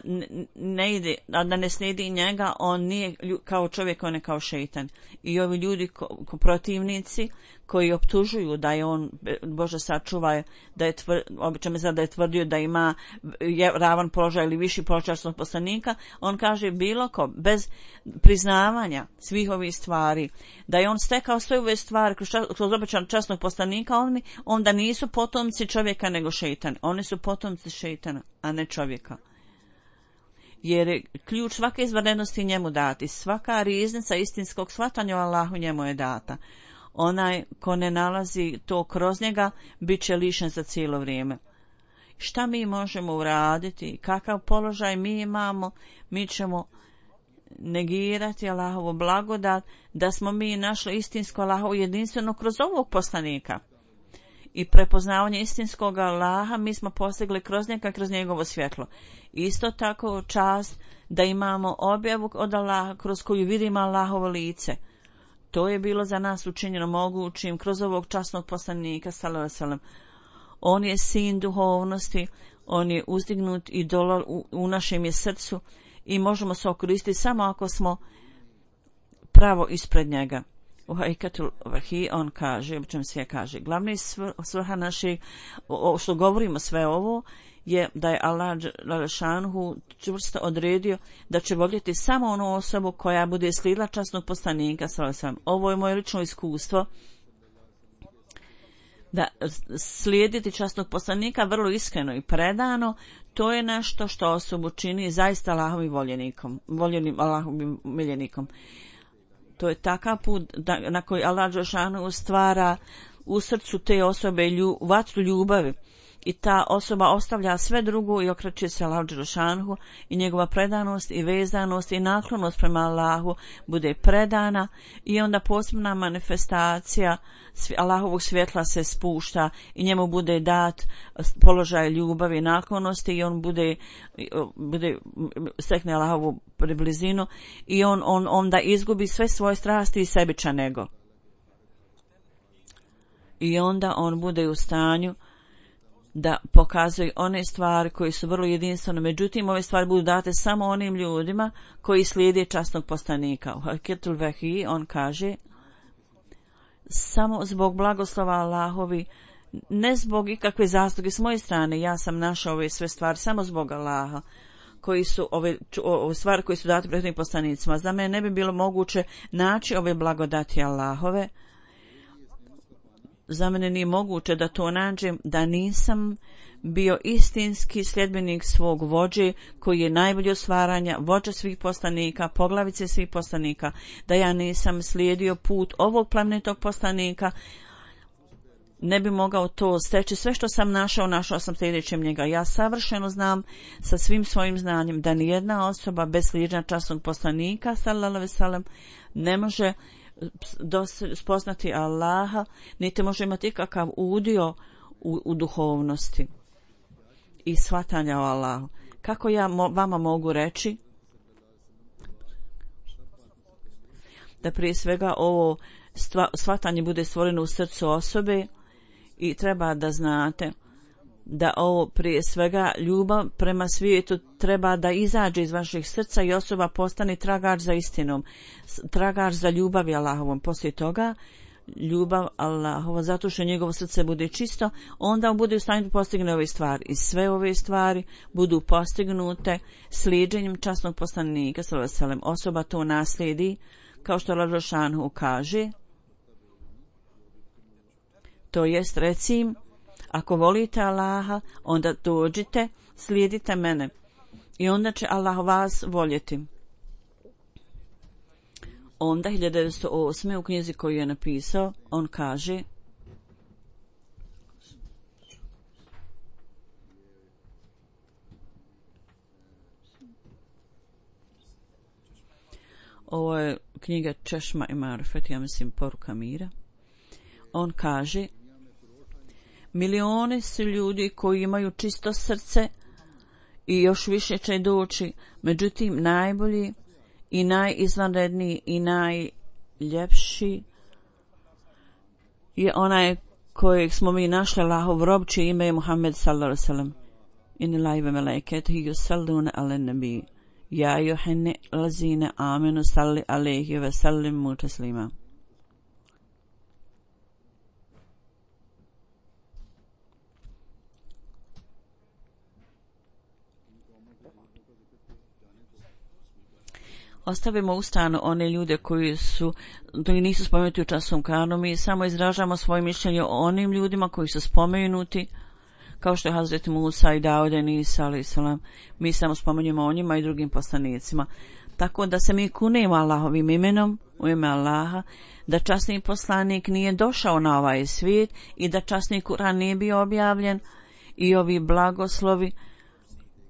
ne ide, a da ne slijedi njega, on nije kao čovjek, on je kao šeitan. I ovi ljudi ko, ko protivnici koji optužuju da je on, Bože sačuvaj, da je tvr, obično me da je tvrdio da ima je, ravan položaj ili viši položaj časnog poslanika, on kaže bilo ko, bez priznavanja svih ovih stvari, da je on stekao sve ove stvari kroz, kroz običan časnog poslanika, on, onda nisu potomci čovjeka nego šeitan. Oni su potomci šeitana, a ne čovjeka. Jer je ključ svake izvanrednosti njemu dati. Svaka riznica istinskog shvatanja o Allahu njemu je data. Onaj ko ne nalazi to kroz njega, bit će lišen za cijelo vrijeme. Šta mi možemo uraditi? Kakav položaj mi imamo? Mi ćemo negirati Allahovu blagodat, da smo mi našli istinsko Allahovo jedinstveno kroz ovog poslanika. I prepoznavanje istinskog Allaha mi smo postigli kroz njega, kroz njegovo svjetlo. Isto tako čast da imamo objavu od Allaha kroz koju vidimo Allahovo lice. To je bilo za nas učinjeno mogućim kroz ovog časnog poslanika sallallahu alejhi ve sellem. On je sin duhovnosti, on je uzdignut i dolor u, u našem je srcu i možemo se okoristiti samo ako smo pravo ispred njega. U Hakatul Vehdi on kaže, o čem sve kaže, glavni svrha našeg, o što govorimo sve ovo, je da je Allah dželešanu čvrsto odredio da će voljeti samo onu osobu koja bude slijedila časnog poslanika sallallahu alejhi ve sellem. Ovo je moje lično iskustvo, da slijediti časnog poslanika vrlo iskreno i predano, to je nešto što osobu čini zaista Allahovim voljenikom, voljenim Allahovim miljenikom. To je takav put da, na koji Allah dželešanu stvara u srcu te osobe lju, vatru ljubavi. I ta osoba ostavlja sve drugo i okreće se Allahu dželešanu i njegova predanost i vezanost i naklonost prema Allahu bude predana i onda posebna manifestacija Allahovog svjetla se spušta i njemu bude dat položaj ljubavi i naklonosti i on bude, bude stekne Allahovu priblizinu i on, on onda izgubi sve svoje strasti i sebičan ego. I onda on bude u stanju da pokazuje one stvari koji su vrlo jedinstvene. Međutim, ove stvari budu date samo onim ljudima koji slijede časnog poslanika. U Hakatul Vehdi on kaže, samo zbog blagoslova Allahovi, ne zbog ikakve zasluge s moje strane, ja sam našao ove sve stvari samo zbog Allaha, koji su ove, ove stvari koji su date prethodnim poslanicima. Za mene ne bi bilo moguće naći ove blagodati Allahove. Za mene nije moguće da to nađem, da nisam bio istinski sljedbenik svog vođe koji je najbolji od stvaranja, vođa svih poslanika, poglavice svih poslanika, da ja nisam slijedio put ovog plemenitog poslanika, ne bi mogao to steći. Sve što sam našao, našao sam sljedećem njega. Ja savršeno znam sa svim svojim znanjem da nijedna osoba bez slijeđenja časnog poslanika sallallahu alejhi ve sellem ne može spoznati Allaha, niti može imati ikakav udio u, u duhovnosti i shvatanja o Allahu. Kako ja mo, vama mogu reći da prije svega ovo stva, shvatanje bude stvoreno u srcu osobe i treba da znate da ovo prije svega ljubav prema svijetu treba da izađe iz vaših srca i osoba postane tragač za istinom, tragač za ljubavi Allahovom. Poslije toga ljubav Allahova, zato što njegovo srce bude čisto, onda on bude u stanju da postigne ove stvari. I sve ove stvari budu postignute slijedženjem časnog poslanika sallallahu alejhi ve sellem. Osoba to naslijedi, kao što Allah dželešanu kaže, to jest recim, ako volite Allaha, onda dođite, slijedite mene i onda će Allah vas voljeti. Onda hiljadu devetsto osme u knjizi koju je napisao, on kaže: ovo je knjiga Češma i Marifet, ja mislim Poruka mira. On kaže: milioni su ljudi koji imaju čisto srce i još više će doći, međutim najbolji i najizvanredniji i najljepši je onaj kojeg smo mi našli, Allahov rob, čije ime je Muhammed sallallahu alejhi ve sellem. Inna Allaha wa malaikatahu yusalluna alen nabi ja ayyuhan lazina amanu salli alejhi ve sellimu taslima. Ostavimo u stranu one ljude koji su koji nisu spomenuti u časnom Kur'anu. Mi samo izražavamo svoje mišljenje o onim ljudima koji su spomenuti, kao što je Hazreti Musa i Daude i Isa alejhi selam. Mi samo spomenujemo o njima i drugim poslanicima. Tako da se mi kunemo Allahovim imenom, u ime Allaha, da časni poslanik nije došao na ovaj svijet i da časni Kur'an nije bio objavljen i ovi blagoslovi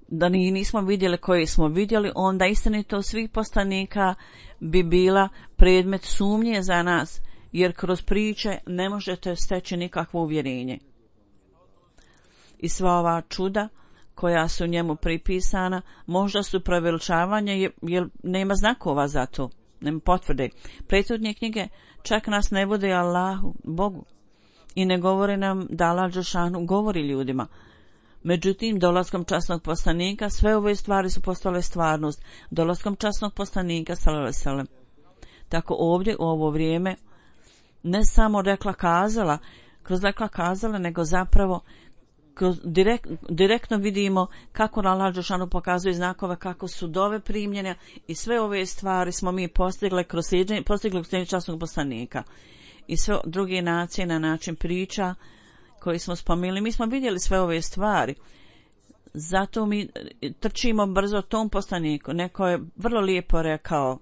da ni nismo vidjeli koje smo vidjeli, onda istinitost svih poslanika bi bila predmet sumnje za nas, jer kroz priče ne možete steći nikakvo uvjerenje. I sva ova čuda koja su njemu pripisana možda su preveličavanje, jer nema znakova za to, nema potvrde. Prethodne knjige čak nas ne vode Allahu, Bogu, i ne govore nam da Allah dželešanu govori ljudima. Međutim, dolaskom časnog poslanika sve ove stvari su postale stvarnost. Dolaskom časnog poslanika sallallahu alejhi ve sellem. Tako ovdje u ovo vrijeme ne samo rekla kazala, kroz rekla kazala, nego zapravo kroz direkt, direktno vidimo kako Allah dželešanu pokazuje znakove, kako su dove primljene i sve ove stvari smo mi postigli kroz slijedženje, postigli kroz slijedženje časnog poslanika. I sve druge nacije na način priča koji smo spomenuli, mi smo vidjeli sve ove stvari. Zato mi trčimo brzo tom poslaniku. Neko je vrlo lijepo rekao: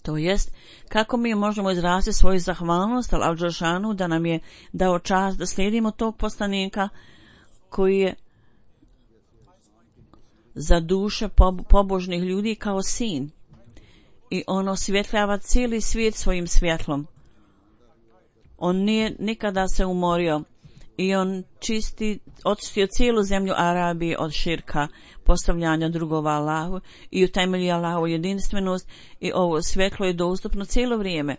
to jest, kako mi možemo izraziti svoju zahvalnost Allahu dželešanu da nam je dao čast da slijedimo tog poslanika koji je za duše pobožnih ljudi kao sin i on osvjetljava cijeli svijet svojim svjetlom. On nije nikada se umorio i on čisti, očistio cijelu zemlju Arabije od širka, postavljanja drugova Allahu i utemelji Allahu jedinstvenost i ovo svjetlo je dostupno cijelo vrijeme.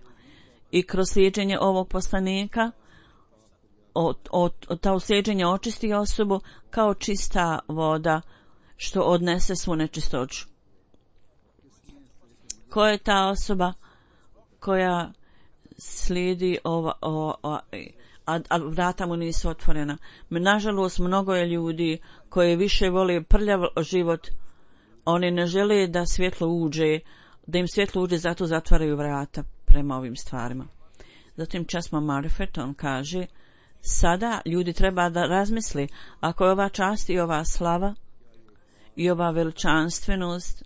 I kroz slijedženje ovog poslanika od, od, od ta slijedženja očisti osobu kao čista voda što odnese svu nečistoću. Ko je ta osoba koja slijedi ova, ova, a, a vrata mu nisu otvorena. Nažalost, mnogo je ljudi koji više vole prljav život, oni ne žele da svjetlo uđe, da im svjetlo uđe, zato zatvaraju vrata prema ovim stvarima. Zatim Časma Marifet, on kaže, sada ljudi treba da razmisli, ako je ova čast i ova slava i ova veličanstvenost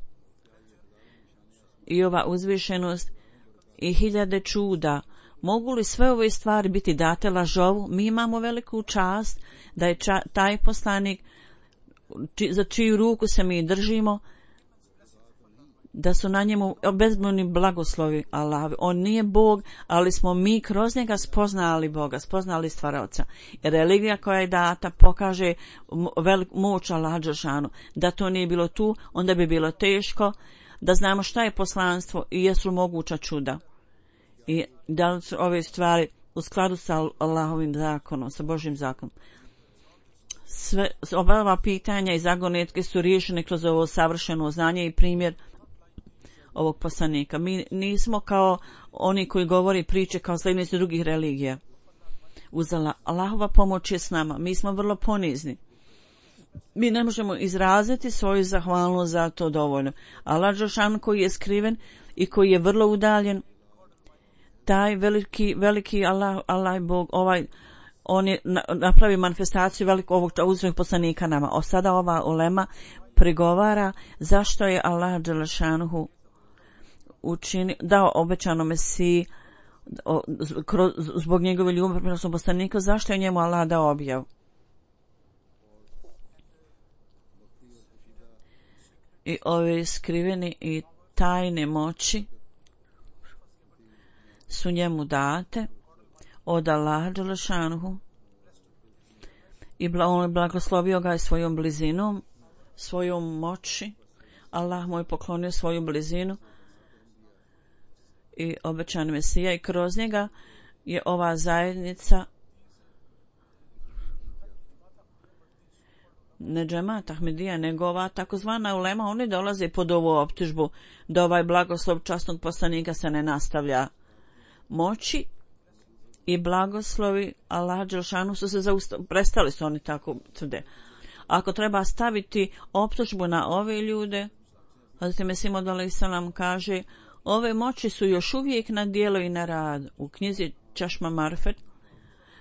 i ova uzvišenost i hiljade čuda, mogu li sve ove stvari biti date lažovu? Mi imamo veliku čast da je ča, taj poslanik či, za čiju ruku se mi držimo, da su na njemu bezbrojni blagoslovi Allahovi. On nije Bog, ali smo mi kroz njega spoznali Boga, spoznali stvaraoca. Religija koja je data pokaže velik moć Allaha dželešanu. Da to nije bilo tu, onda bi bilo teško da znamo šta je poslanstvo i jesu moguća čuda. I da li su ove stvari u skladu sa Allahovim zakonom, sa Božjim zakonom. Sve ova pitanja i zagonetke su riješene kroz ovo savršeno znanje i primjer ovog poslanika. Mi nismo kao oni koji govori priče kao sljedbenici drugih religija. Uzela Allahova pomoć je s nama. Mi smo vrlo ponizni. Mi ne možemo izraziti svoju zahvalnost za to dovoljno. Allah dželešanu koji je skriven i koji je vrlo udaljen, taj veliki, veliki Allah, Allah Bog, ovaj, on je napravi manifestaciju velikog ovog uzvišenog poslanika nama. O sada ova ulema prigovara zašto je Allah dželešanu učini, dao obećano Mesiji o, kroz, zbog njegove ljubavi prema svom poslaniku, zašto je njemu Allah dao objavu. I ove skriveni i tajne moći su njemu date od Allaha dželešanu i on je blagoslovio ga svojom blizinom, svojom moći. Allah mu je poklonio svoju blizinu i obećan Mesija i kroz njega je ova zajednica ne džemat Ahmedija, nego ova takozvana ulema, oni dolaze pod ovu optužbu da ovaj blagoslov časnog poslanika se ne nastavlja. Moći i blagoslovi Allah dželešanu su se zaustavili, prestali su oni tako tvrde. Ako treba staviti optužbu na ove ljude, Hazreti Mesih Maud alejhi selam kaže, ove moći su još uvijek na djelo i na rad. U knjizi Časma Marifet,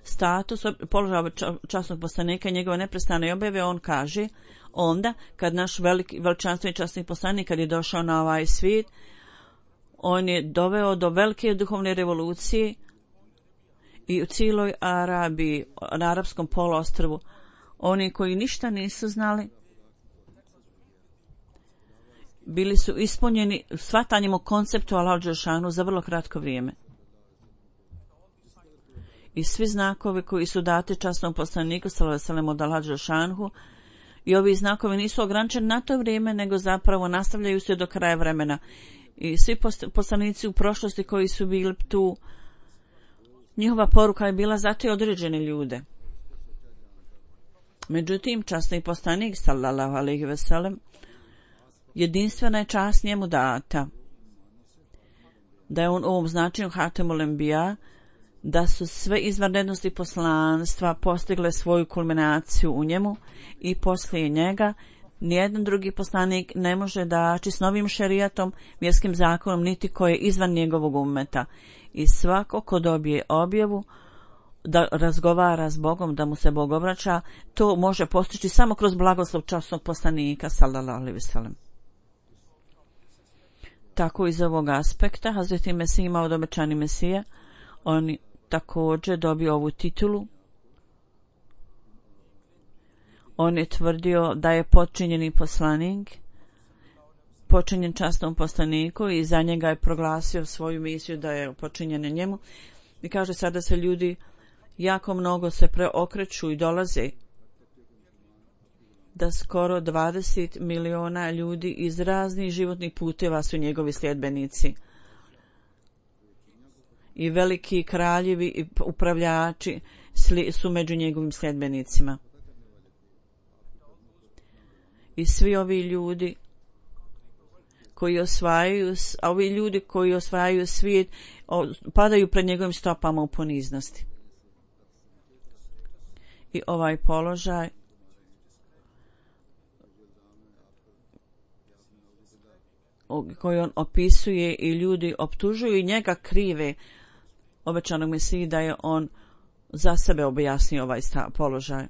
status položaja časnog poslanika i njegove neprestane objave, on kaže, onda kad naš veliki veličanstveni časni poslanik kad je došao na ovaj svijet, on je doveo do velike duhovne revolucije i u cijeloj Arabiji, na arapskom poluostrvu, oni koji ništa nisu znali, bili su ispunjeni shvatanjem o konceptu Allaha dželešanu za vrlo kratko vrijeme. I svi znakovi koji su dati časnom poslaniku sallallahu alejhi ve sellem od Allaha dželešanu, i ovi znakovi nisu ograničeni na to vrijeme, nego zapravo nastavljaju se do kraja vremena. I svi poslanici u prošlosti koji su bili tu, njihova poruka je bila za te određene ljude. Međutim, časni poslanik sallallahu alejhi ve sellem, jedinstvena je čast njemu data, da je on u ovom značenju Hatemul Enbija, da su sve izvanrednosti poslanstva postigle svoju kulminaciju u njemu i poslije njega nijedan drugi poslanik ne može daći s novim šerijatom, vjerskim zakonom, niti koji je izvan njegovog ummeta. I svako ko dobije objavu da razgovara s Bogom, da mu se Bog obraća, to može postići samo kroz blagoslov časnog poslanika sallallahu alejhi ve sellem. Tako iz ovog aspekta Hazreti Mesih imao od obećani Mesija, on također dobio ovu titulu. On je tvrdio da je počinjeni poslanik, počinjen časnom poslaniku i za njega je proglasio svoju misiju da je počinjen njemu. I kaže sada se ljudi jako mnogo se preokreću i dolaze, da skoro dvadeset miliona ljudi iz raznih životnih puteva su njegovi sljedbenici. I veliki kraljevi i upravljači su među njegovim sljedbenicima. I svi ovi ljudi koji osvajaju, a ovi ljudi koji osvajaju svijet, padaju pred njegovim stopama u poniznosti. i ovaj položaj koji on opisuje i ljudi optužuju i njega krive obećanog Mesiji da je on za sebe objasnio ovaj sta, položaj.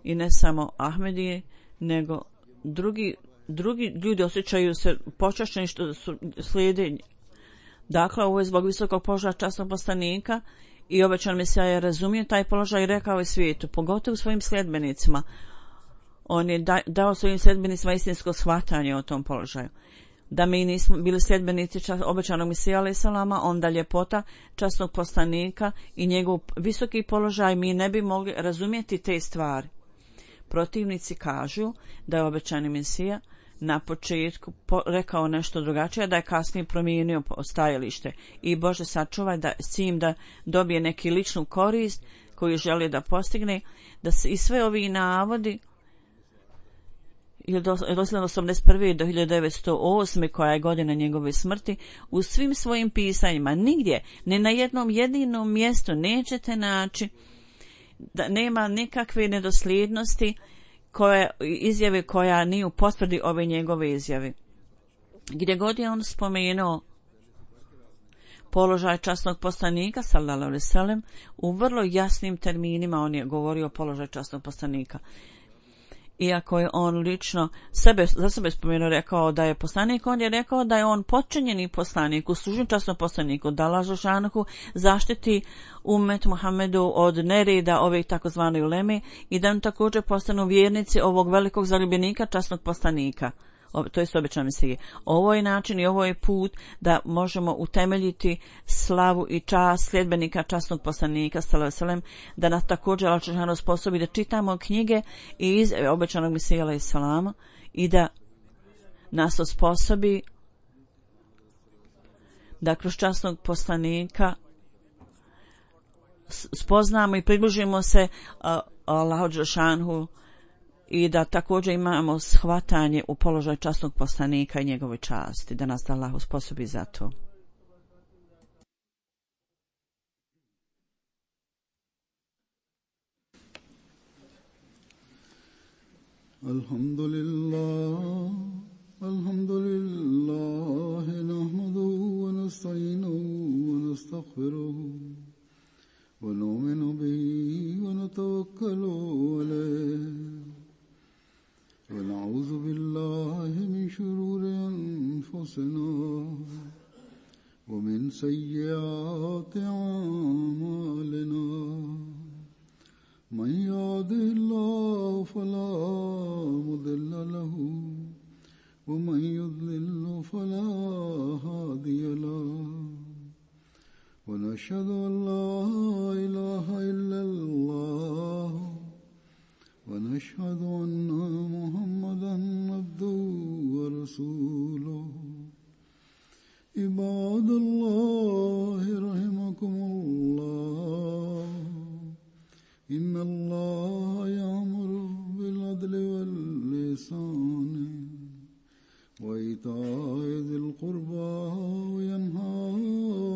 I ne samo Ahmedije, nego drugi, drugi ljudi osjećaju se počašćeni što su slijede. Dakle, ovo je zbog visokog položaja časnog poslanika i obećan Mesija je razumio taj položaj i rekao je svijetu, pogotovo svojim sljedbenicima. On je da, dao svojim sljedbenicima istinsko shvatanje o tom položaju. Da mi nismo bili sljedbenici čas, obećanog Mesija alaih salama, onda ljepota časnog poslanika i njegov visoki položaj mi ne bi mogli razumjeti te stvari. Protivnici kažu da je obećani Mesija na početku po, rekao nešto drugačije, da je kasnije promijenio stajalište i Bože sačuvaj da s tim da dobije neki ličnu korist koju želi da postigne, da se i sve ovi navodi od osamdeset prve do hiljadu devetsto osme koja je godina njegove smrti, u svim svojim pisanjima nigdje, ne na jednom jedinom mjestu nećete naći da nema nikakve nedosljednosti koje, izjave koja nije u potvrdi ove njegove izjave. Gdje god je on spomenuo položaj časnog poslanika sallallahu alejhi ve sellem, u vrlo jasnim terminima on je govorio o položaju časnog poslanika. Iako je on lično sebe, za sebe spomenuo, rekao da je poslanik, on je rekao da je on potčinjeni poslanik, uslužen časnom poslaniku, da Allah dželešanohu zaštiti umet Muhammedu od nereda ovih takozvane uleme i da on također postanu vjernici ovog velikog zaljubljenika časnog poslanika. To je obećan Mesije. Ovo je način i ovo je put da možemo utemeljiti slavu i čast sljedbenika časnog poslanika sallallahu alejhi ve sellem, da nas također Allah dželešanohu sposobi da čitamo knjige i izjave obećanog Mesije alejhi selam i da nas osposobi da kroz časnog poslanika spoznamo i približimo se uh, Allahu dželešanohu i da također imamo shvatanje u položaju časnog poslanika i njegove časti, da nas Allah usposobi za to. Alhamdulillah, alhamdulillah, nahmaduhu wa nasta'inuhu wa nastaghfiruhu wa nu'minu bihi wa natawakkalu alayhi. ونعوذ بالله من شرور أنفسنا ومن سيئات أعمالنا من يهده الله فلا مضل له ومن يضلل فلا هادي له ونشهد أن لا إله إلا الله ونشهد أن محمدًا عبده ورسوله عباد الله رحمكم الله إن الله يأمر بالعدل والإحسان وإيتاء ذي القربى وينهى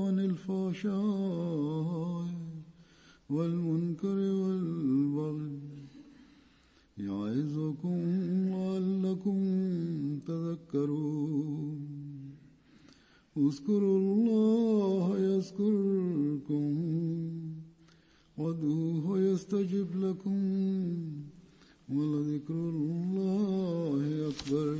عن الفحشاء والمنكر والبغي يعظكم لعلكم تذكرون اذكروا الله يذكركم وادعوه يستجب لكم ولذكر الله أكبر.